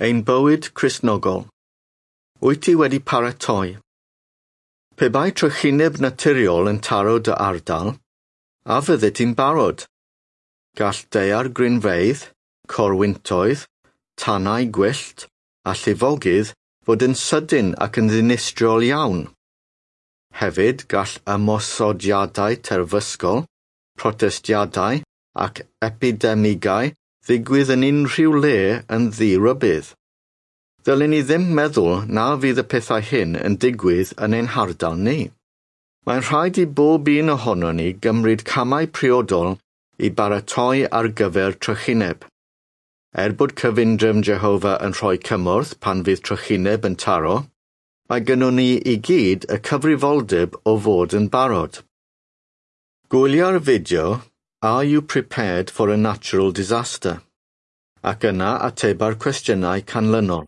Ein bywyd Cristnogol. Wyt ti wedi paratoi? Pe bai trychineb naturiol yn taro dy ardal, a fyddet ti'n barod? Gall daeargrynfeydd, corwyntoedd, tanau gwyllt a llifogydd fod yn sydyn ac yn ddinistriol iawn. Hefyd, gall ymosodiadau terfysgol, protestiadau ac epidemigau ddigwydd yn unrhyw le yn ddi-rybudd. Ddylen ni ddim meddwl na fydd y pethau hyn yn digwydd yn ein hardal ni. Mae'n rhaid i bob un ohonon ni gymryd camau priodol i baratoi ar gyfer trychineb. Er bod cyfundrefn Jehofa yn rhoi cymorth pan fydd trychineb yn taro, mae gynnon ni i gyd y cyfrifoldeb o fod yn barod. Gwylia'r fideo Are You Prepared for a Natural Disaster? Ac yna ateba'r cwestiynau canlynol.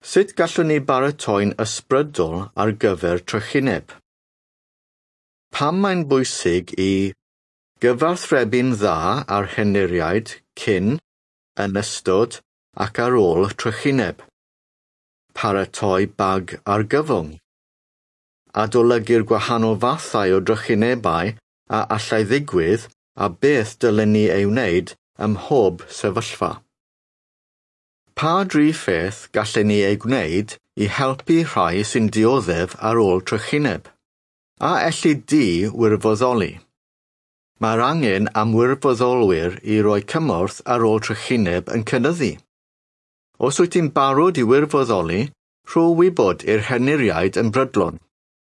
Sut gallwn ni baratoi'n ysbrydol ar gyfer trychineb? Pam mae'n bwysig i gyfathrebu'n dda â'r henuriaid cyn, yn ystod ac ar ôl trychineb? Paratoi bag argyfwng. Adolygu'r gwahanol fathau o drychinebau a allai ddigwydd a beth dylen ni ei wneud ym mhob sefyllfa. Pa dri pheth gallen ni ei gwneud i helpu rhai sy'n dioddef ar ôl trychineb? A elli di wirfoddoli? Mae'r angen am wirfoddolwyr i roi cymorth ar ôl trychineb yn cynyddu. Os wyt ti'n barod i wirfoddoli, rho wybod i'r henuriaid yn brydlon.